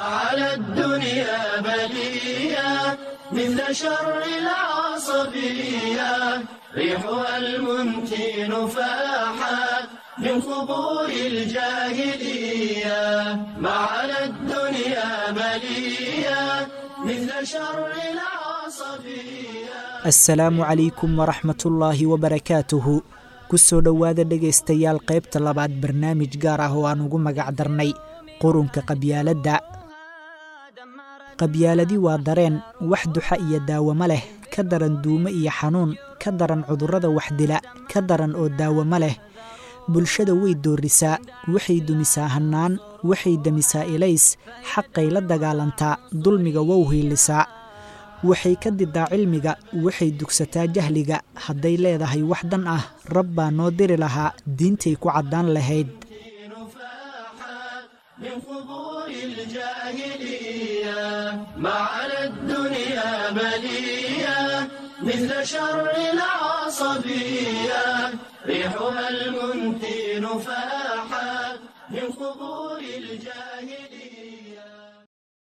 على الدنيا بلية مثل شر العصبية ريحها المنتن فاحت من قبور الجاهلية. ما على الدنيا بلية مثل شر العصبية. Assalaamu calaykum waraxmatullaahi wabarakaatuhu. Ku soo dhowaada, dhegaystayaal, qaybta labaad barnaamij gaar ah oo aan ugu magac darnay qurunka qabyaaladda. Qabyaaladi waa dareen wax duxa iyo daawamo leh, ka daran duumo iyo xanuun, ka daran cudurrada waxdila, ka daran oo daawamo leh. Bulshada way doorisaa, waxay dumisaa hannaan, waxay damisaa ilays, xaqay la dagaalantaa, dulmiga wow hiilisaa, waxay ka didaa cilmiga, waxay dugsataa jahliga. Hadday leedahay wax dan ah, rab baa noo diri lahaa, diintay ku caddaan lahayd. فاحت من قبور الجاهلية. ما على الدنيا بلية مثل شر العصبية ريحها المنتن فاحت من قبور الجاهلية.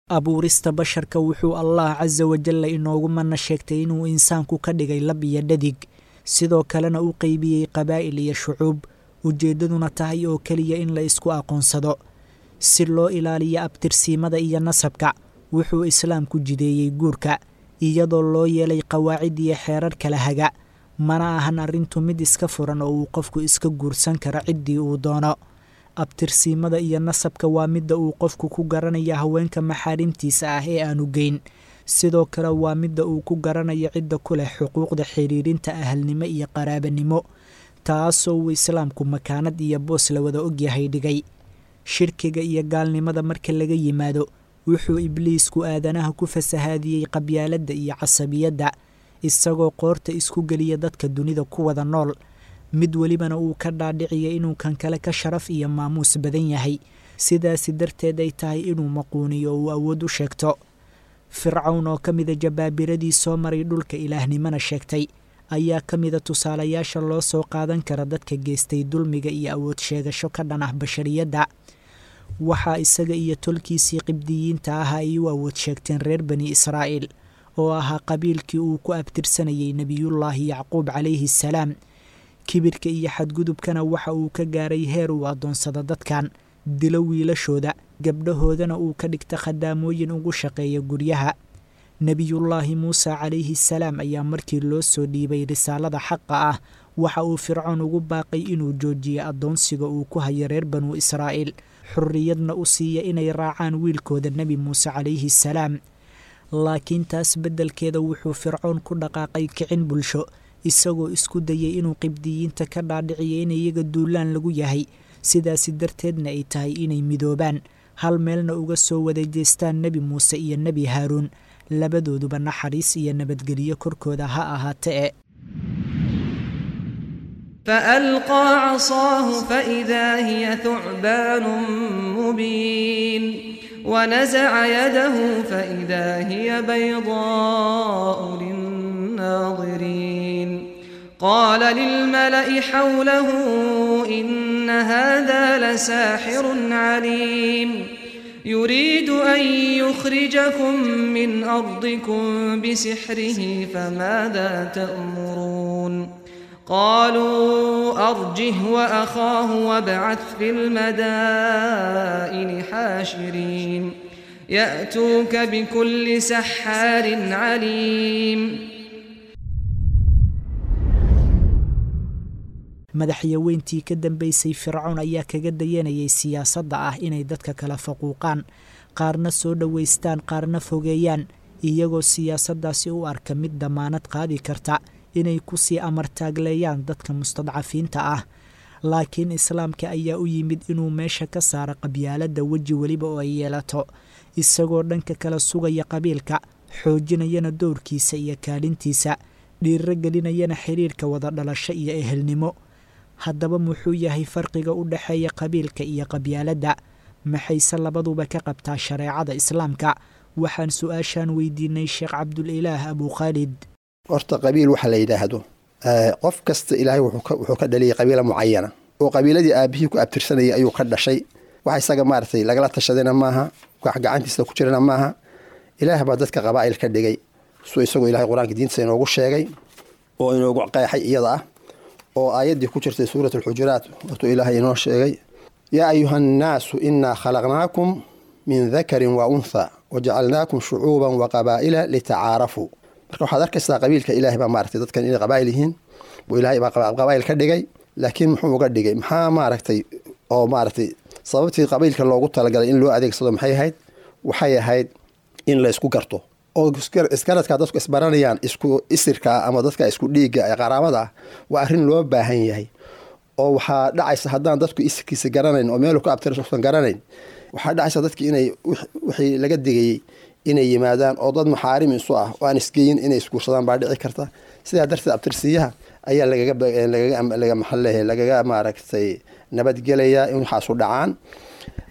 Abuurista basharka wuxuu Allah casa wajalla inoogu mana sheegtay inuu insaanku ka dhigay lab iyo dhadig, sidoo kalena u qeybiyey qabaa'il iyo shucuub, ujeeddaduna tahay oo keliya in la isku aqoonsado si loo ilaaliyo abtirsiimada iyo nasabka. Wuxuu islaamku jideeyey guurka iyadoo loo yeelay qawaacid iyo xeerar kala haga. Mana ahan arrintu mid iska furan oo uu qofku iska guursan karo ciddii uu doono. Abtirsiimada iyo nasabka waa midda uu qofku ku garanaya haweenka maxaarimtiisa ah ee aanu geyn. Sidoo kale waa midda uu ku garanayo cidda ku leh xuquuqda xiriirinta ahalnimo iyo qaraabanimo, taasoo uu islaamku makaanad iyo boos la wada ogyahay dhigay. Shirkiga iyo gaalnimada marka laga yimaado, wuxuu ibliisku aadanaha ku fasahaadiyey qabyaaladda iyo casabiyadda, isagoo qoorta isku geliya dadka dunida ku wada nool, mid welibana uu ka dhaadhiciya inuu kan kale ka sharaf iyo maamuus badan yahay, sidaasi darteed ay tahay inuu maquuniyo uu awood u sheegto. Fircawn oo ka mida jabaabiradii soo maray dhulka, ilaahnimana sheegtay, ayaa ka mida tusaalayaasha loo soo qaadan kara dadka geystay dulmiga iyo awood sheegasho ka dhan ah bashariyadda. Waxaa isaga iyo tolkiisii qibdiyiinta ah ay u awood sheegteen reer Bani Israa'iil, oo ahaa qabiilkii uu ku abtirsanayay Nebiyullaahi Yacquub calayhi salaam. Kibirka iyo xadgudubkana waxa uu ka gaaray heer uu addoonsado dadkan, dilo wiilashooda, gabdhahoodana uu ka dhigta khadaamooyin ugu shaqeeya guryaha. Nebiyullaahi Muuse calayhi salaam ayaa markii loo soo dhiibay risaalada xaqa ah waxa uu Fircoon ugu baaqay inuu joojiyo addoonsiga uu ku hayo reer Banuu Israa'iil, xurriyadna u siiya inay raacaan wiilkooda Nebi Muuse calayhi salaam. Laakiin taas beddelkeeda wuxuu Fircoon ku dhaqaaqay kicin bulsho, isagoo isku dayay inuu qibdiyiinta ka dhaadhiciyo in iyaga duulaan lagu yahay, sidaasi darteedna ay tahay inay midoobaan, hal meelna uga soo wada jeestaan Nebi Muuse iyo Nebi Haaruun, labadooduba naxariis iyo nabadgelyo korkooda ha ahaate e. فألقى عصاه فإذا هي ثعبان مبين، ونزع يده فإذا هي بيضاء للناظرين. قال للملأ حوله إن هذا لساحر عليم، يريد أن يخرجكم من أرضكم بسحره، فماذا تأمرون؟ قالوا أرجه وأخاه وابعث في المدائن حاشرين، يأتوك بكل سحار عليم. Madaxyaweyntii ka dambeysay Fircoon ayaa kaga dayanayay siyaasadda ah inay dadka kala faquuqaan, qaarna soo dhoweystaan, qaarna fogeeyaan, iyagoo siyaasaddaasi u arka mid damaanad qaadi karta inay kusii amartaagleeyaan dadka mustadcafiinta ah. Laakiin islaamka ayaa u yimid inuu meesha ka saaro qabyaaladda weji weliba oo ay yeelato, isagoo dhanka kala sugaya qabiilka, xoojinayana dowrkiisa iyo kaalintiisa, dhiiro gelinayana xiriirka wada dhalasho iyo ehelnimo. Haddaba muxuu yahay farqiga u dhexeeya qabiilka iyo qabyaaladda? Maxayse labaduba ka qabtaa shareecada islaamka? Waxaan su-aashaan weydiinay Sheekh Cabdulilaah Abukhaalid. Horta qabiil waxa la yidhaahdo, qof kasta Ilaahay wuxuu ka dhaliyay qabiila mucayana oo qabiiladii aabihii ku abtirsanayay ayuu ka dhashay. Wax isaga maaragtay lagala tashadayna maaha. Wax gacantiisa ku jirana maaha. Ilaah baa dadka qabaa'il ka dhigay, suu isagoo Ilahay qur-aanka diintiisa inoogu sheegay oo inoogu qeexay iyada ah, oo aayaddii ku jirtay suurat alxujuraat watuu Ilaahay inoo sheegay: yaa ayuha annaasu innaa khalaqnaakum min dakarin wa untha wajacalnaakum shucuuban wa qabaa'ila litacaarafuu. Marka waxaad arkaysaa qabiilka Ilahay baa maaragtay dadkan inay qabaa'il yihiin buu Ilahay baa qabaa'il ka dhigay. Laakiin muxuu uga dhigay? Maxaa maaragtay oo maaragtay sababtii qabiilka loogu talagalay in loo adeegsado maxay ahayd? Waxay ahayd in la isku garto oo iskaradkaa dadku isbaranayaan, isku isirkaa ama dadka isku dhiigga ee qaraabada ah, waa arrin loo baahan yahay. Oo waxaa dhacaysa haddaan dadku isirkiisa garanayn oo meelu ka abtirsan garanayn, waxaa dhacaysa dadki inay wixii laga digayey inay yimaadaan, oo dad maxaarim isu ah oo aan isgeyin inay isguursadaan baa dhici karta. Sidaa darteed abtirsiyaha ayaa lagaga maxalehe lagaga maaragtay nabadgelaya in waxaasu dhacaan.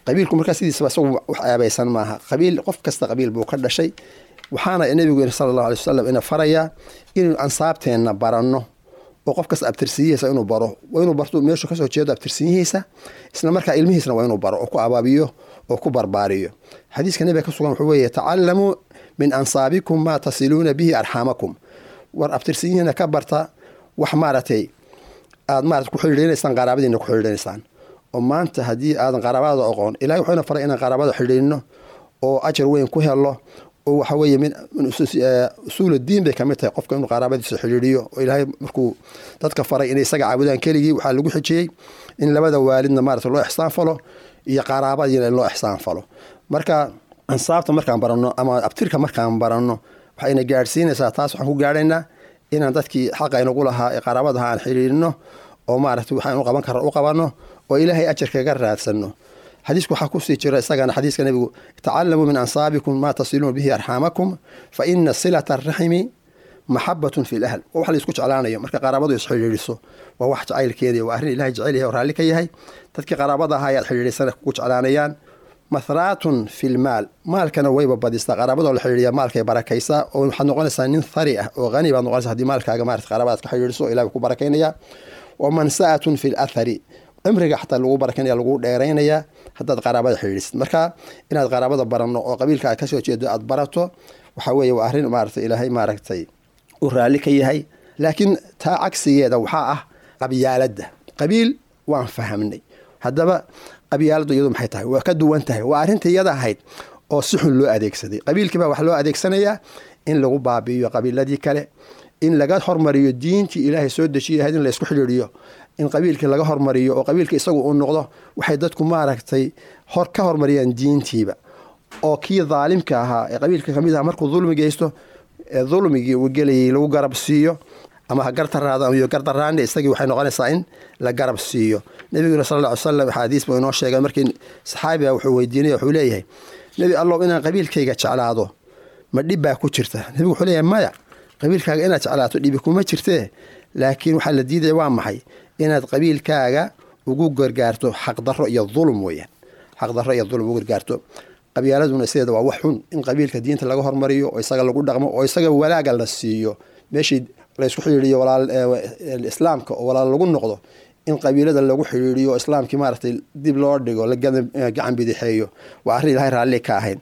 Qabiilku markaa sidiisaba isagu wax aabaysan maaha. Qabiil qof kasta qabiil buu ka dhashay. Waxaana nabigu sala allahu alay wasalam ina farayaa inuu ansaabteenna baranno, oo qof kasta abtirsiyihiisa inuu baro. Waa inuu barto meeshu kasoo jeedo abtirsiyihiisa, isla markaa ilmihiisna waa inuu baro oo ku abaabiyo oo ku barbaariyo. Xadiiska nabiga ka sugan wuxuu weeye: tacalamuu min ansaabikum maa tasiluuna bihi arxaamakum. War abtirsiyihiina ka barta wax maaragtay aad maarata ku xidhiidhinaysaan, qaraabadiina ku xidhiidhinaysaan. Oo maanta haddii aadan qaraabada aqoon, Ilahay wuxuuna faray inaan qaraabada xidhiidhino oo ajar weyn ku helo, oo waxa weeye min usuul diin bay kamid tahay qofka inuu qaraabadiisa xidhiidhiyo. Oo Ilaahay markuu dadka faray inay isaga caabudaan keligii, waxaa lagu xijiyey in labada waalidna maarata loo ixsaan falo iyo qaraabadiina in loo ixsaan falo. Marka ansaabta markaan baranno ama abtirka markaan baranno, waxayna gaadhsiinaysaa taas, waxaan ku gaadhaynaa inaan dadkii xaqa inagu lahaa ee qaraabadaha aan xidhiidhino, oo maaragtay waxaan u qaban karra u qabanno, oo Ilaahay ajar kaga raadsanno. Xadiisku waxaa kusii jira isagana xadiiska nabigu: tacalamuu min ansaabikum maa tasiluuna bihi arxaamakum, fa ina silata araximi maxabatun fi lahl. Waa wax la isku jeclaanayo marka qaraabadu isxidhiidhiso, waa wax jacaylkeedii, waa arrin Ilahay jecel yahay oo raalli ka yahay. Dadkii qaraabada ahaa ayaad xidhiidhisana kugu jeclaanayaan. Mathraatun fi lmaal, maalkana wayba badistaa qaraabadoo la xidhiidhiya, maalkay barakaysaa, oo waxaad noqonaysaa nin thari ah oo hani baad noqonaysaa haddii maalkaaga maarata qaraabadaad ka xidhiidhiso, Ilahi ku barakaynaya. Wa mansa'atun fi lathari, cimriga xataa lagu barakanaya, lagu dheeraynayaa haddaad qaraabada xidhiidhisid. Marka inaad qaraabada baranno oo qabiilka aad kasoo jeedo aad barato waxa weeye waa arrin maaragtay Ilaahay maaragtay uu raalli ka yahay. Laakiin taa cagsigeeda waxaa ah qabyaaladda. Qabiil waan fahamnay, haddaba qabyaaladdu iyadu maxay tahay? Waa ka duwan tahay. Waa arrinta iyada ahayd oo si xun loo adeegsaday. Qabiilkii baa wax loo adeegsanayaa in lagu baabi'iyo qabiiladii kale, in laga hormariyo diintii Ilaahay soo dejiyay ahayd in la isku xidhiidhiyo, in qabiilkii laga hormariyo oo qabiilka isagu uu noqdo waxay dadku maaragtay hor ka hormariyaan diintiiba. Oo kii daalimka ahaa ee qabiilka kamid aha markuu dulmi geysto, ee dulmigii uu gelayay lagu garab siiyo, ama ha gartaraado ama iyo gardaraane, isagii waxay noqonaysaa in la garab siiyo. Nabiguna sal alla ly salam axaadiis buu inoo sheegay. Markii saxaabiga wuxuu weydiinaya, wuxuu leeyahay: Nebi Allow, inaan qabiilkayga jeclaado ma dhib baa ku jirta? Nebigu wuxuu leeyahay: maya, qabiilkaaga inaad jeclaato dhibi kuma jirtee, laakiin waxaa la diidaya waa maxay? Inaad qabiilkaaga ugu gargaarto xaqdarro iyo dulum weeyaan, xaqdarro iyo dulum ugu gargaarto. Qabyaaladuna sideeda waa wax xun, in qabiilka diinta laga hormariyo oo isaga lagu dhaqmo oo isaga walaaga la siiyo meeshii laysku xidhiidhiyo walaal islaamka oo walaal lagu noqdo, in qabiilada lagu xidhiidhiyo islaamkii maaragtay dib loo dhigo, la gacan bidixeeyo, waa arrin Ilahay raalli ka ahayn.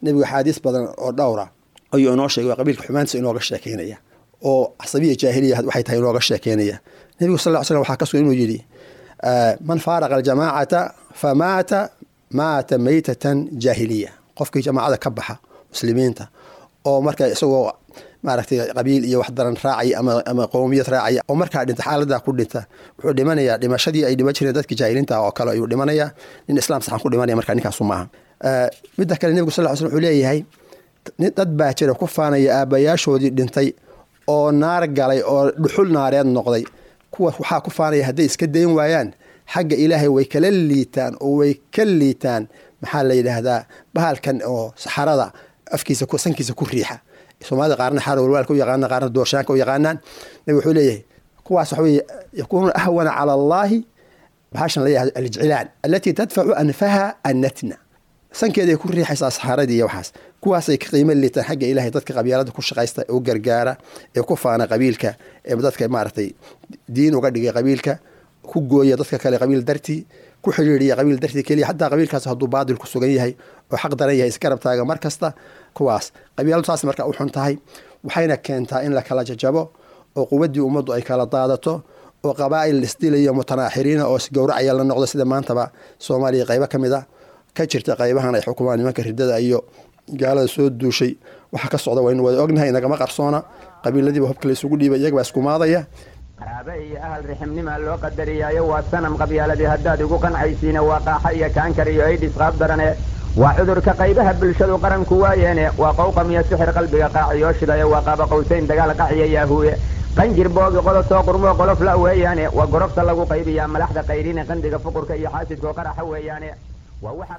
Nebigu axaadiis badan oo dhowra ayuu inoo sheegay waa qabiilka xumaantiisa inooga sheekeynaya, oo casabiya jaahiliya waxay tahay inooga sheekeynaya. Nebigu sal ll slam waxaa ka sugan inuu yidhi: man faaraqa aljamaacata famaata maata maytatan jaahiliya. Qofkii jamaacada ka baxa muslimiinta oo marka isagoo maaragtay qabiil iyo wax daran raacaya ama qowmiyad raacaya oo markaa dhinta, xaaladaa ku dhinta, wuxuu dhimanayaa dhimashadii ay dhiman jireen dadkii jaahiliinta oo kale ayuu dhimanayaa. Nin islaam saxan ku dhimanaya marka ninkaasu maaha. Midda kale, nebigu sal ll slam wuxuu leeyahay: dad baa jira ku faanaya aabbayaashoodii dhintay oo naar galay oo dhuxul naareed noqday. Kuwa waxaa ku faanaya hadday iska dayn waayaan, xagga Ilaahay way kala liitaan oo way ka liitaan, maxaa la yidhaahdaa, bahalkan oo saxarada afkiisa sankiisa ku riixa. Soomaalida qaarna xaarwalwaalka u yaqaanaan, qaarna doorshaanka u yaqaanaan. Nabi wuxuu leeyahay kuwaas waxa weeye yakuunuuna ahwana cala Allahi bahashan la yidhahdo aljcilaan allatii tadfacu anfaha annatna, sankeeday ku riixaysaa saxaaradii iyo waxaas. Kuwaasay ka qiimo liitaan xagga Ilaahay dadka qabyaalada ku shaqaysta ee u gargaara ee ku faana qabiilka, ee dadka maaragtay diin uga dhigay qabiilka, ku gooya dadka kale qabiil dartii. ku xidhiidhiya qabiil dartii keliya, xataa qabiilkaas hadduu baadil ku sugan yahay oo xaq daran yahay, isgarab taaga mar kasta. Kuwaas qabyaaladu saas marka u xun tahay, waxayna keentaa in la kala jajabo oo quwaddii ummaddu ay kala daadato oo qabaa'il isdilayo mutanaaxiriina oo isgowracaya la noqdo, sida maantaba Soomaaliya qaybo ka mid a ka jirta, qaybahan ay xukumaan nimanka ridada iyo gaalada soo duushay. Waxa ka socda waynu wada ognahay, nagama qarsoona. Qabiiladiiba hubka la isugu dhiibay, iyaga baa iskumaadaya. Qaraabe iyo ahal riximnimaa loo qadariyaayo, waa sanam qabyaaladii haddaad igu qancaysiina, waa qaaxa iyo kaankar iyo aydhis qaab darane, waa cudurka qaybaha bulshadu qaranku waayeene, waa qowqam iyo sixir qalbiga qaaciyoo shidayo, waa qaaba qowsayn dagaal qaciya yaahuuye, qanjir boogi qodosoo qurmoo qolof la weeyaane, waa gorofta lagu qaybiyaa malaxda qayrine, qandiga fuqurka iyo xaasidkoo qaraxa weeyaane.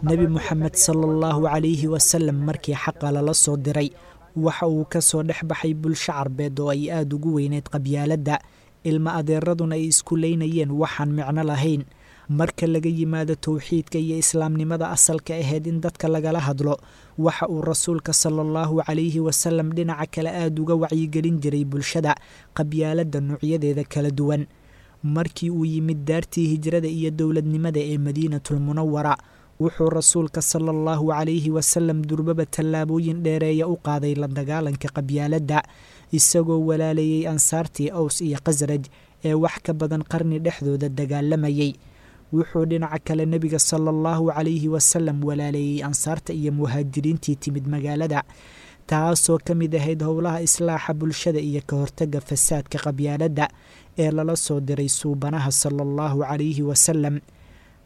Nebi Moxamed sala allahu calayhi wasalam markii xaqa lala soo diray waxa uu ka soo dhex baxay bulsho carbeed oo ay aada ugu weyneyd qabyaaladda, ilma adeeraduna ay isku leynayeen waxaan micno lahayn. Marka laga yimaado towxiidka iyo islaamnimada asalka ahayd in dadka lagala hadlo, waxa uu rasuulka sala allahu calayhi wasalam dhinaca kale aada uga wacyigelin jiray bulshada qabyaaladda noocyadeeda kala duwan. Markii uu yimid daartii hijrada iyo dowladnimada ee Madiinatulmunawara, wuxuu rasuulka sala allahu calayhi wasalam durbaba tallaabooyin dheereeya u qaaday la dagaalanka qabyaaladda, isagoo walaaleeyey ansaartii Aws iyo Khasraj ee wax ka badan qarni dhexdooda dagaalamayay. Wuxuu dhinaca kale nebiga sala allahu calayhi wasalam walaaleeyey ansaarta iyo muhaajiriintii timid magaalada, taasoo ka mid ahayd howlaha islaaxa bulshada iyo ka hortagga fasaadka qabyaaladda ee lala soo diray suubanaha sala allahu calayhi wasalam.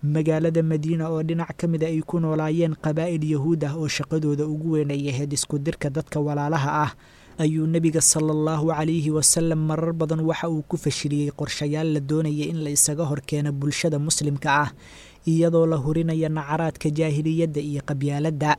Magaalada Madiina oo dhinac ka mida ay ku noolaayeen qabaa'il yahuud ah oo shaqadooda ugu weyn ay ahayd isku dirka dadka walaalaha ah, ayuu nebiga sala allahu calayhi wasalam marar badan waxa uu ku fashiliyey qorshayaal la doonaya in la isaga horkeeno bulshada muslimka ah, iyadoo la hurinaya nacaraadka jaahiliyadda iyo qabyaaladda.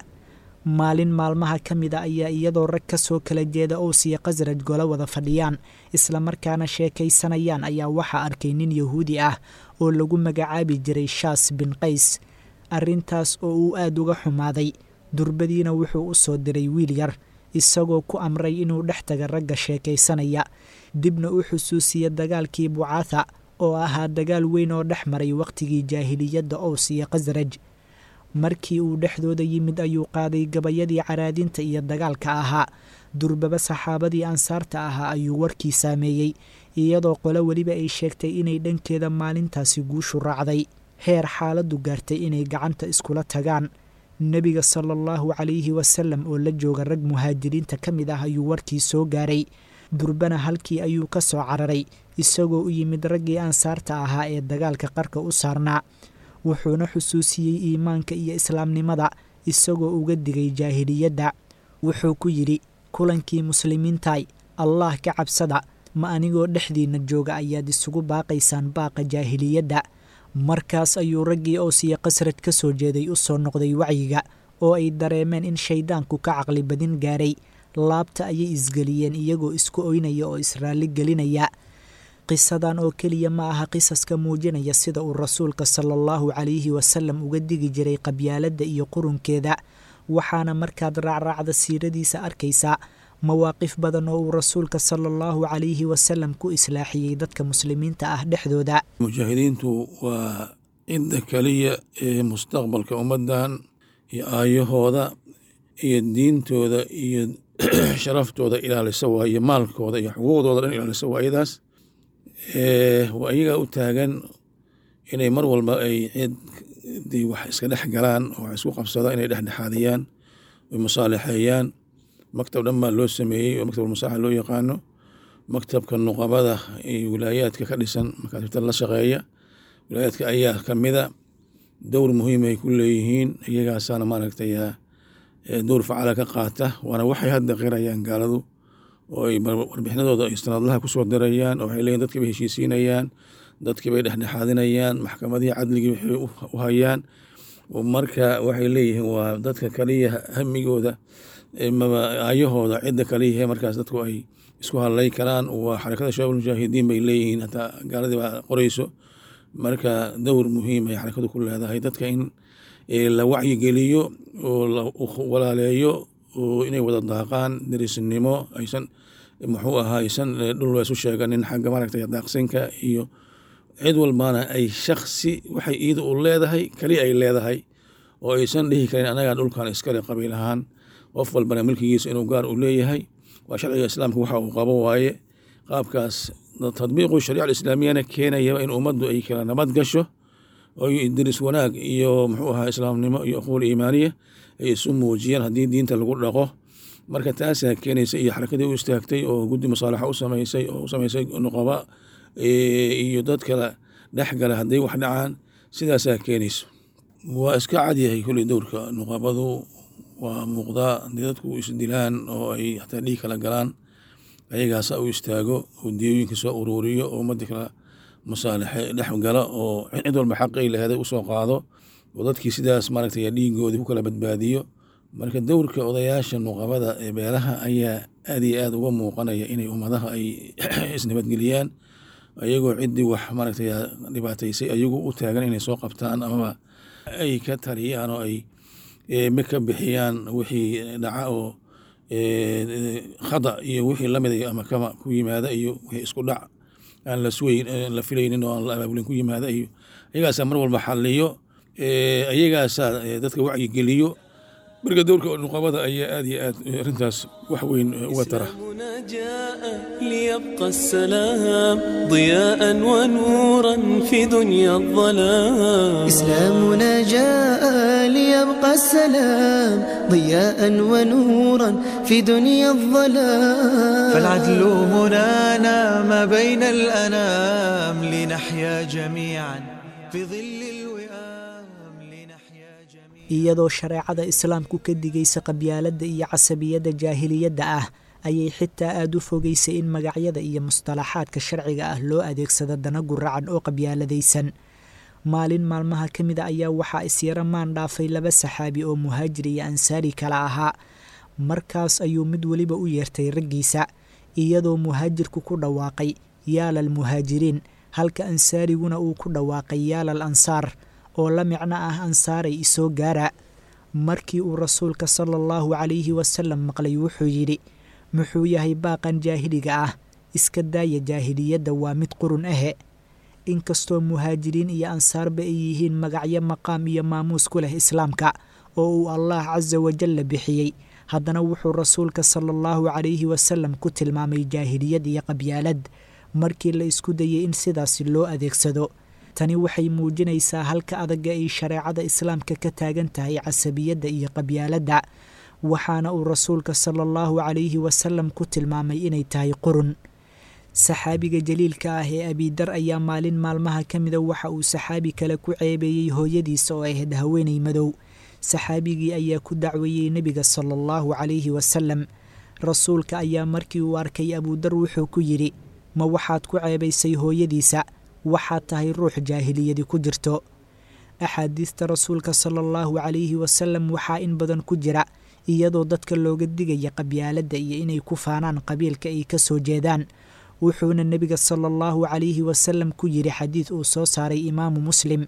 Maalin maalmaha ka mida ayaa iyadoo rag ka soo kala jeeda Ows iyo Khasraj golo wada fadhiyaan islamarkaana sheekaysanayaan ayaa waxaa arkay nin yahuudi ah oo lagu magacaabi jiray Shaas bin Qays. Arrintaas oo uu aada uga xumaaday, durbadiina wuxuu u soo diray wiil yar, isagoo ku amray inuu dhex taga ragga sheekaysanaya, dibna u xusuusiya dagaalkii Bucaatha oo ahaa dagaal weyn oo dhex maray wakhtigii jaahiliyadda Ows iyo Khasraj. Markii uu dhexdooda yimid ayuu qaaday gabayadii caraadinta iyo dagaalka ahaa. Durbaba saxaabadii ansaarta ahaa ayuu warkii saameeyey, iyadoo qolo weliba ay sheegtay inay dhankeeda maalintaasi guushu raacday, heer xaaladdu gaartay inay gacanta iskula tagaan. Nebiga sala allahu calayhi wasalam oo la jooga rag muhaajiriinta ka mid ah ayuu warkii soo gaaray. Durbana halkii ayuu ka soo cararay, isagoo u yimid raggii ansaarta ahaa ee dagaalka qarka u saarnaa, wuxuuna xusuusiyey iimaanka iyo islaamnimada, isagoo uga digay jaahiliyadda. Wuxuu ku yidhi kulankii muslimiintaay, Allah ka cabsada, ma anigoo dhexdiinna jooga ayaad isugu baaqaysaan baaqa jaahiliyadda? Markaas ayuu raggii Ows iyo Khasraj ka soo jeeday u soo noqday wacyiga oo ay dareemeen in shayddaanku ka caqli badin gaaray. Laabta ayay isgeliyeen iyagoo isku oynaya oo israalli gelinaya. Qisadan oo keliya ma aha qisaska muujinaya sida uu rasuulka sala allahu calayhi wasalam uga digi jiray qabyaaladda iyo qurunkeeda, waxaana markaad raacraacda siiradiisa arkaysaa mawaaqif badan oo uu rasuulka sala allahu calayhi wasalam ku islaaxiyey dadka muslimiinta ah dhexdooda. Mujaahidiintu waa cidda keliya ee mustaqbalka ummaddan iyo aayahooda iyo diintooda iyo sharaftooda ilaalisa waa, iyo maalkooda iyo xuquuqdooda dhan ilaalisa waa iyadaas. Waa iyagaa u taagan inay mar walba ay ciddii wax iska dhex galaan oo wax isku qabsada inay dhexdhexaadiyaan oy musaalixeeyaan. Maktab dhan baa loo sameeyey oo maktab almusaaxa loo yaqaano, maktabka nuqabada iyo wilaayaadka ka dhisan makaatibta la shaqeeya wilaayaadka ayaa kamida dowr muhiim ay ku leeyihiin. Iyagaasaana maaragtay dowr facala ka qaata, waana waxay hadda qirayaan gaaladu oo ay warbixinadooda ay sanadlaha kusoo dirayaan, oo waxay leeyihin dadkii bay heshiisiinayaan, dadkii bay dhexdhexaadinayaan, maxkamadihii cadligii waxay u hayaan. Marka waxay leeyihiin waa dadka kaliya hamigooda maba aayahooda cidda kaliyahe markaas dadku ay isku hadlay karaan waa Xarakada Shabaab Mujaahidiin bay leeyihiin, hataa gaaladii baa qoreyso. Marka dowr muhiim ay xarakadu ku leedahay dadka in la wacyigeliyo oo la walaaleeyo oo inay wada daaqaan derisnimo, aysan muxuu ahaa aysan dhul isu sheeganin xagga maaragtay daaqsinka iyo Cid walbana ay shaksi waxay iida u leedahay kali ay leedahay, oo aysan dhihi karin anagaa dhulkan iskale qabiil ahaan. Qof walbana milkigiisa inuu gaar u leeyahay waa sharciga islaamka waxa uu qabo waaye. Qaabkaas tadbiiqu shariica alislaamiyana keenayaba in ummaddu ay kala nabad gasho, oo diris wanaag iyo muxuu ahaa islaamnimo iyo uquul iimaaniya ay isu muujiyaan haddii diinta lagu dhaqo. Marka taasaa keenaysa iyo xarakadii u istaagtay oo guddi musaalaxa u samaysay oo u samaysay nuqaba iyo dad kale dhex gala hadday wax dhacaan, sidaasaa keenayso. Waa iska cadyahay kulley dowrka nuqabadu waa muuqdaa. Haddii dadku isdilaan oo ay xataa dhiig kala galaan, ayagaasa u istaago oo diyooyinka soo uruuriyo oo ummadda kala musaalaxe dhex gala oo cid walba xaqay laheeday usoo qaado oo dadkii sidaas maaragtay dhiigoodii ku kala badbaadiyo. Marka dowrka odayaasha nuqabada ee beelaha ayaa aad iyo aad uga muuqanaya inay ummadaha ay isnabadgeliyaan, ayagoo ciddii wax maaragtay dhibaataysay ayagu u taagan inay soo qabtaan amaba ay ka taliyaan oo ay ka bixiyaan wixii dhaca oo khada iyo wixii lamid ama kama ku yimaada iyo wixii isku dhac aan la sugayn la filaynin oo aan la abaabulin ku yimaada, iyo ayagaasaa mar walba xalliyo, ayagaasaa dadka wacyigeliyo. Marka dowrka nuqabada ayaa aad iyo aad arrintaas wax weyn uga tara. جاء ليبقى السلام ضياء ونورا في دنيا الظلام. إسلامنا جاء ليبقى السلام ضياء ونورا في دنيا الظلام. فالعدل منانا ما بين الأنام لنحيا جميعا في ظل الوئام لنحيا جميعا. Iyadoo shareecada islaamku ka digaysa qabyaaladda iyo casabiyadda jaahiliyadda ah, ayay xitaa aada u fogeysay in magacyada iyo mustalaxaadka sharciga ah loo adeegsado dana guracan oo qabyaaladaysan. Maalin maalmaha ka mida ayaa waxaa isyaro maan dhaafay laba saxaabi oo muhaajir iyo ansaari kala ahaa. Markaas ayuu mid weliba u yeertay raggiisa, iyadoo muhaajirku ku dhawaaqay yaalal muhaajiriin, halka ansaariguna uu ku dhawaaqay yaalal ansaar, oo la micno ah ansaaray isoo gaara. Markii uu rasuulka sala allahu calayhi wasalam maqlay wuxuu yidhi: muxuu yahay baaqan jaahiliga ah? Iska daaya jaahiliyadda, waa mid qurun ahe. Inkastoo muhaajiriin iyo ansaarba ay yihiin magacyo maqaam iyo maamuus ku leh islaamka oo uu allah casa wajalla bixiyey, haddana wuxuu rasuulka sala allahu calayhi wasalam ku tilmaamay jaahiliyad iyo qabyaalad markii la isku dayay in sidaasi loo adeegsado. Tani waxay muujinaysaa halka adagga ay shareecada islaamka ka taagan tahay casabiyadda iyo qabyaaladda, waxaana uu rasuulka sala allahu calayhi wasalam ku tilmaamay inay tahay qurun. Saxaabiga jaliilka ah ee abidar ayaa maalin maalmaha ka mida waxa uu saxaabi kale ku ceebeeyey hooyadiisa oo ahayd haweeney madow. Saxaabigii ayaa ku dacweeyey nebiga sala allahu calayhi wasalam. Rasuulka ayaa markii uu arkay abudar wuxuu ku yidhi: ma waxaad ku ceebaysay hooyadiisa? Waxaad tahay ruux jaahiliyadi ku jirto. Axaadiista rasuulka sala allahu calayhi wasalam waxaa in badan ku jira iyadoo dadka looga digaya qabyaaladda iyo inay ku faanaan qabiilka ay ka soo jeedaan. Wuxuuna nebiga sala allahu calayhi wasalam ku yidhi xadiid uu soo saaray imaamu Muslim: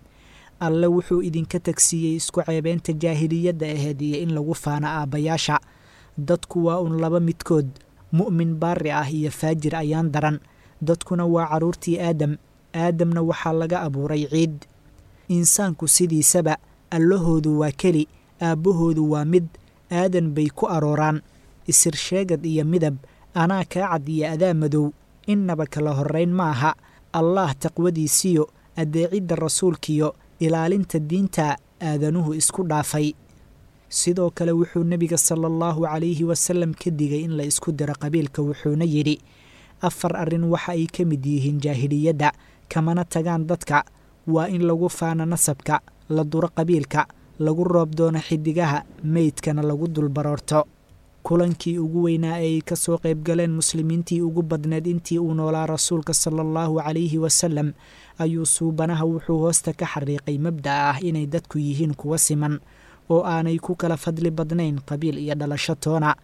Alle wuxuu idinka tagsiiyey isku ceebeynta jaahiliyadda aheyd iyo in lagu faano aabbayaasha. Dadku waa un laba midkood, mu'min baari ah iyo faajir ayaan daran. Dadkuna waa carruurtii Aadam, Aadamna waxaa laga abuuray ciid. Insaanku sidiisaba allahoodu waa keli, aabbahoodu waa mid, aadan bay ku arooraan. Isir sheegad iyo midab, anaa kaa cad iyo adaa madow, innaba kala horrayn maaha. Allaah taqwadiisiyo addeecidda rasuulkiyo ilaalinta diinta aadanuhu isku dhaafay. Sidoo kale wuxuu nebiga sala allahu calayhi wasalam ka digay in la isku diro qabiilka, wuxuuna yidhi: afar arrin waxa ay ka mid yihiin jaahiliyadda, kamana tagaan dadka: waa in lagu faano nasabka, la duro qabiilka, lagu roob doono xidigaha, meydkana lagu dulbaroorto. Kulankii ugu weynaa ee ay ka soo qayb galeen muslimiintii ugu badneed intii uu noolaa rasuulka sala allahu calayhi wasalam ayuu suubanaha wuxuu hoosta ka xariiqay mabda'a ah inay dadku yihiin kuwa siman oo aanay ku kala fadli badnayn qabiil iyo dhalasho toona,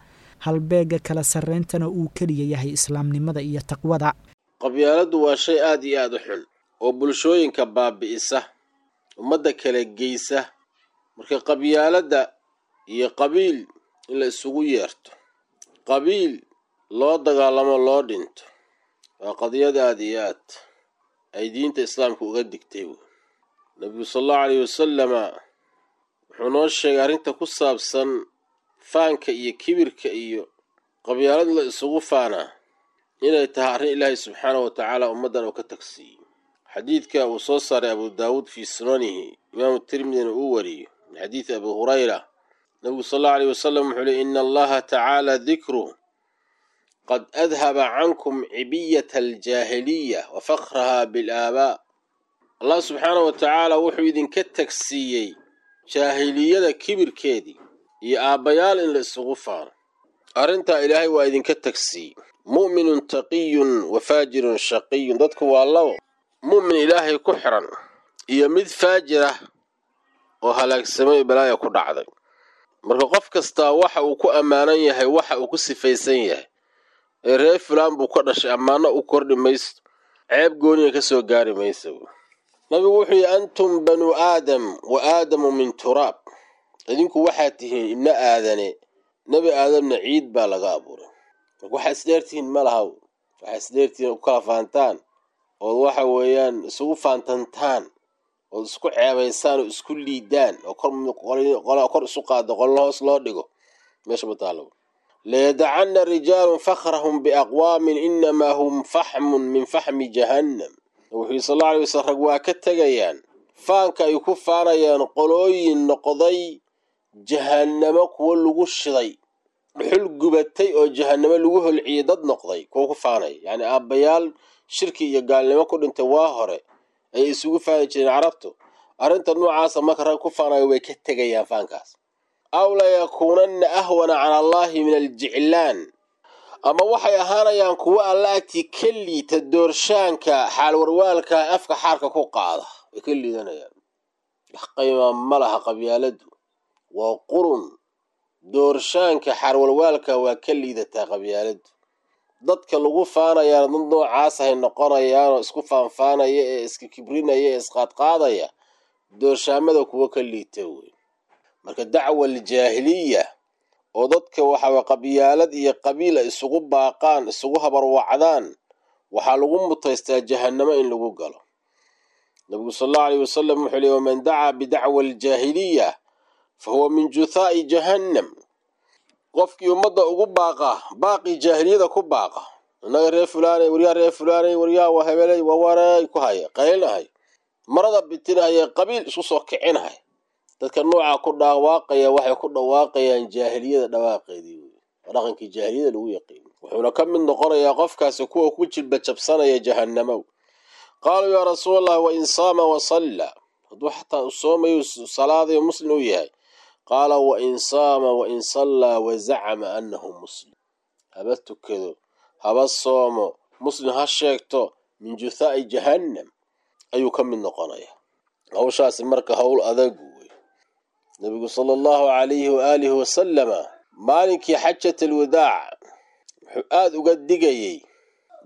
halbeegga kala sarreyntana uu keliya yahay islaamnimada iyo taqwada. Qabyaaladdu waa shay aad iyo aad u xun oo bulshooyinka baabi'isa, ummadda kala geysa. Marka qabyaaladda iyo qabiil in la isugu yeerto, qabiil loo dagaalamo, loo dhinto, waa qadiyad aad iyo aad ay diinta islaamka uga digtay. Nabigu sala allahu calayhi wasalama wuxuu noo sheegay arrinta ku saabsan faanka iyo kibirka iyo qabyaalad la isugu faanaa inay tahay arrin Ilaahay subxaanahu wa tacaala ummaddan uu ka tagsiiyey. Xadiidka uu soo saaray Abu Daawuud fii sunanihi, Imaamu Tirmidina uu wariyo min xadiidi Abi Hurayra, nabigu sala allahu alayhi wasalam wuxuu leey: ina Allaha tacaala dikruh qad adhaba cankum cibiyata aljaahiliya wa fakhraha bilaabaa. Allah subxaanahu wa tacaala wuxuu idinka tagsiiyey jaahiliyada kibirkeedii iyo aabbayaal in la isugu faano. Arrintaa Ilaahay waa idinka tagsiiyey. Mu'minun taqiyun wa faajirun shaqiyun, dadku waa labo: mu'min Ilaahay ku xiran iyo mid faajir ah oo halaagsamay, balaaya ku dhacday. Marka qof kastaa waxa uu ku ammaanan yahay, waxa uu ku sifaysan yahay, ee reer fulaan buu ka dhashay, ammaano u kordhi mayso, ceeb gooniga ka soo gaari maysa. Nabigu wuxuu yihi: antum banuu Aadam wa Aadamu min turaab. Idinku waxaad tihiin ibno Aadane, Nebi Aadamna ciid baa laga abuuray. Marka waxaa isdheertihiin ma laha, waxaa isdheertihiin u kala faantaan ood waxa weeyaan isugu faantantaan ood isku ceebaysaan oo isku liidaan oo kor kor isu qaado, qolna hoos loo dhigo, meesha ma taalo. Layadacanna rijaalun fakhrahum biaqwaamin inamaa hum faxmun min faxmi jahannam. Wuxuu yii sal alla alay waslam: rag waa ka tegayaan faanka ay ku faanayaan qolooyin noqday jahannamo kuwo lagu shiday, dhuxul gubatay oo jahannamo lagu holciyey dad noqday kuwo ku faanaya. Yacni aabbayaal shirki iyo gaalnimo ku dhintay waa hore ayay isugu faani jireen Carabtu. Arrinta noocaasa marka rag ku faanayo way ka tegayaan faankaas. Aw layakuunanna ahwana cala Allahi min aljiclaan, ama waxay ahaanayaan kuwo Alla agtii ka liita doorshaanka xaalwarwaalka afka xaarka ku qaada, way ka liidanayaan. Wax qiimaa ma laha qabyaaladu, waa qurun. Doorshaanka xaalwarwaalka waa ka liidataa qabyaaladu. Dadka lagu faanayaana dad noocaas ahay noqonayaanoo isku faanfaanaya ee iska kibrinaya ee isqaadqaadaya, doorshaamada kuwo ka liita wey. Marka dacwa aljaahiliya oo dadka waxaa qabyaalad iyo qabiila isugu baaqaan, isugu habarwacdaan, waxaa lagu mutaystaa jahannamo in lagu galo. Nabigu sal allahu alayh wasalam wuxuu leey: waman dacaa bidacwa aljaahiliya fa huwa min juthaa'i jahannam. Qofkii ummadda ugu baaqa baaqii jaahiliyada ku baaqa, innaga reer fulaanay, waryaa reer fulaanay, waryaa waa hebelay, waa wareey ku haya, qaylinahay, marada bitinahaya, qabiil isku soo kicinahay, dadka noocaa ku dhawaaqaya waxay ku dhawaaqayaan jaahiliyada dhawaaqeedii wey, waa dhaqankii jaahiliyada lagu yaqiino. Wuxuuna ka mid noqonayaa qofkaasi kuwa ku jilba jabsanaya jahannamow. Qaaluu: yaa rasuul Allah, wain saama wa salla, hadduu xataa u soomayo, salaadayo, muslim uu yahay? Qaala: wain saama wain sallaa wa zacama annahu muslim, haba tukado, haba soomo, muslim ha sheegto, min juthaa'i jahannam ayuu ka mid noqonayaa hawshaasi. Marka howl adag wey. Nabigu sala allahu calayhi waaalihi wasalama maalinkii xajat alwadaac wuxuu aada uga digayey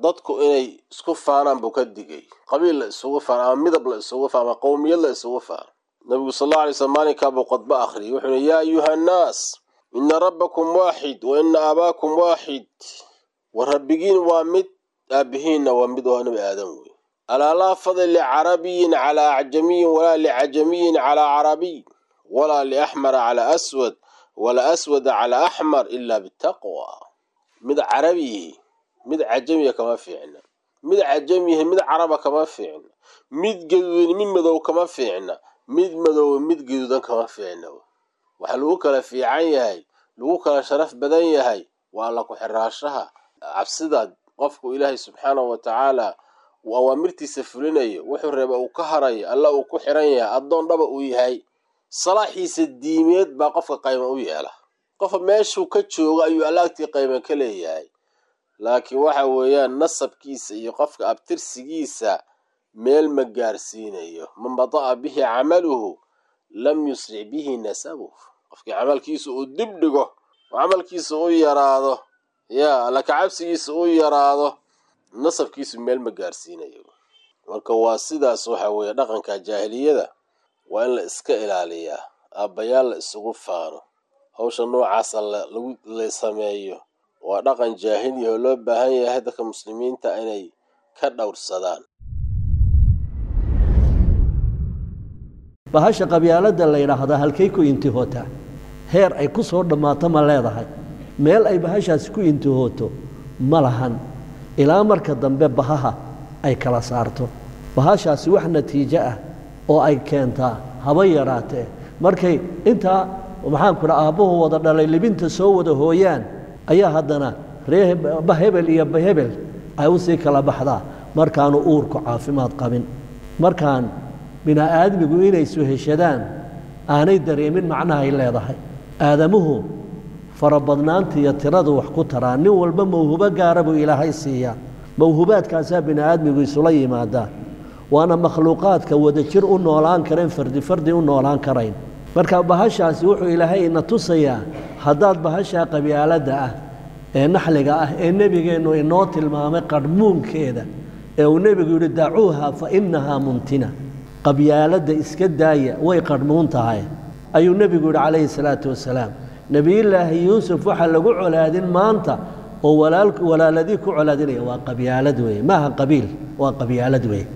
dadku inay isku faanaan buu ka digay, qabiil la isugu faano ama midab la isugu faano ama qowmiyad la isugu faano. Nabigu sal alla alay slam maalinkaa buu khudbo akhriyay, wuxuuna: yaa ayuha annaas, ina rabbakum waaxid wa ina aabaakum waaxid. Wa rabbigiin waa mid, aabihiinna waa mid, oo Nabi Aadam wey. Alaa laa fadla licarabiyin calaa acjamiyin, walaa licajamiyin calaa carabiy, walaa liaxmara calaa aswad, walaa aswada calaa axmar, ilaa bitaqwa. Mid carabiyihi mid cajamiya kama fiicna, mid cajamiyihi mid caraba kama fiicna, mid gaduudan mid madow kama fiicna, mid madow mid gaduudan kama fiicna. Waxaa lagu kala fiican yahay, lagu kala sharaf badan yahay, waa alla ku-xiraashaha, cabsida qofku Ilaahay subxaanahu wa tacaala uu awaamirtiisa fulinayo, wuxuu reeba uu ka harayo, Alla uu ku xiran yahay, addoon dhaba uu yahay. Salaaxiisa diimeed baa qofka qayma u yeela. Qofka meeshuu ka joogo ayuu Alla agtii qayma ka leeyahay, laakiin waxa weeyaan nasabkiisa iyo qofka abtirsigiisa meel ma gaarsiinayo. Man bada'a bihi camaluhu lam yusric bihi nasabuh. Qofkii camalkiisa uu dib dhigo oo camalkiisa u yaraado, yaa Alla kacabsigiisa u yaraado, nasabkiisu meel ma gaarsiinayo. Marka waa sidaas. Waxa weeye dhaqanka jaahiliyada waa in la iska ilaaliyaa, aabbayaal la isugu faano, hawsha noocaasa lagu la sameeyo waa dhaqan jaahiliya oo loo baahan yahay dadka muslimiinta inay ka dhowrsadaan. Bahasha qabyaaladda la yidhaahdaa halkay ku intihootaa? Heer ay ku soo dhammaato ma leedahay? Meel ay bahashaasi ku intihooto ma lahan, ilaa marka dambe bahaha ay kala saarto. Bahashaasi wax natiijo ah oo ay keentaa haba yaraatee. Markay intaa, maxaan ku dhaha, aabbuhu wada dhalay libinta soo wada hooyaan, ayaa haddana ree bahebel iyo bahebel ay u sii kala baxdaa. Markaanu uurku caafimaad qabin, markaan bini'aadmigu inay suheshadaan aanay dareemin macnahay leedahay. Aadamuhu farabadnaanta iyo tiradu wax ku taraa. Nin walba mawhubo gaara buu Ilaahay siiyaa, mawhubaadkaasaa bini'aadmigu isula yimaadaa, waana makhluuqaadka wadajir u noolaan kareen, fardi fardi u noolaan karayn. Marka bahashaasi wuxuu Ilaahay ina tusayaa, haddaad bahashaa qabyaaladda ah ee naxliga ah ee nebigeennu inoo tilmaamay qadhmuunkeeda, ee uu nebigu yidhi dacuuha fa innahaa muntina, qabyaaladda iska daaya, way qadhmuun tahay, ayuu nebigu yidhi calayhi salaatu wasalaam. Nebiyullaahi Yuusuf waxaa lagu colaadin maanta oo walaaladii ku colaadinaya waa qabyaalad weeye, maaha qabiil, waa qabyaalad weeye.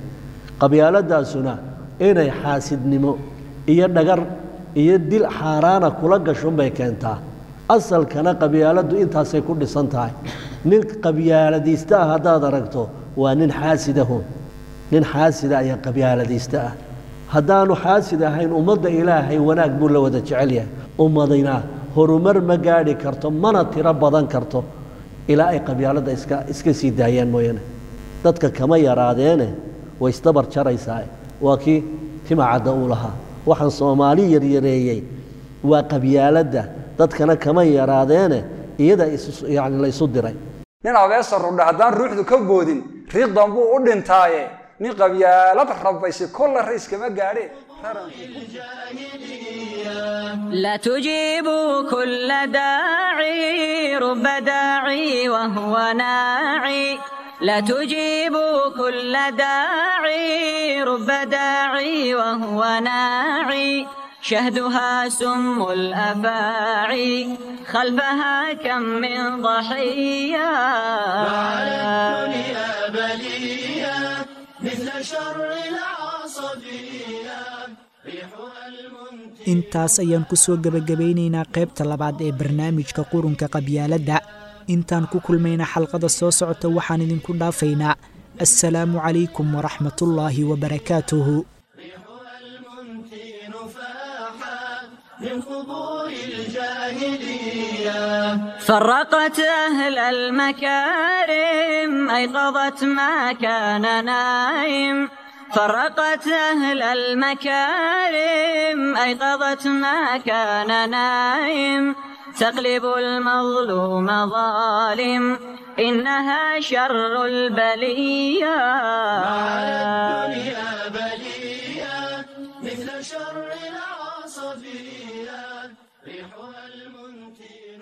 Qabyaaladaasuna inay xaasidnimo iyo dhagar iyo dil xaaraana kula gashunbay keentaa. Asalkana qabyaaladdu intaasay ku dhisan tahay. Nin qabyaaladiista ah haddaad aragto, waa nin xaasidahun. Nin xaasida ayaa qabyaaladiista ah. Haddaanu xaasid ahayn, ummadda Ilaahay wanaag buu la wada jecel yahay. Ummadina horumar ma gaadhi karto mana tiro badan karto ilaa ay qabyaaladda iska sii daayaan mooyaane. Dadka kama yaraadeene way isdabar jaraysaa. Waa kii Timacadda uu lahaa, waxaan Soomaali yaryareeyey waa qabyaaladda, dadkana kama yaraadeene iyada yani la isu diray. Nin abeesa rudha haddaan ruuxdu ka boodin, riiqdan buu u dhintaaye. Nin qabyaalad rabaysi kolla rayskama gaadhe. لا تجيبوا كل داعي، رب داعي وهو ناعي. لا تجيبوا كل داعي، رب داعي وهو ناعي. شهدها سم الأفاعي، خلفها كم من ضحية. وعلى الدنيا بلية مثل شر العصبية. Intaas ayaan ku soo gebagabaynaynaa qaybta labaad ee barnaamijka Qurunka Qabyaaladda. Intaan ku kulmayna xalqada soo socota, waxaan idinku dhaafaynaa assalaamu calaykum waraxmatullaahi wabarakaatuhu. من قبور الجاهلية فرقت أهل المكارم، أيقظت ما كان نايم. فرقت أهل المكارم، أيقظت ما كان نايم. تقلب المظلوم ظالم، إنها شر البلية. على الدنيا بلية مثل شر العصبية، ريحها المنتن.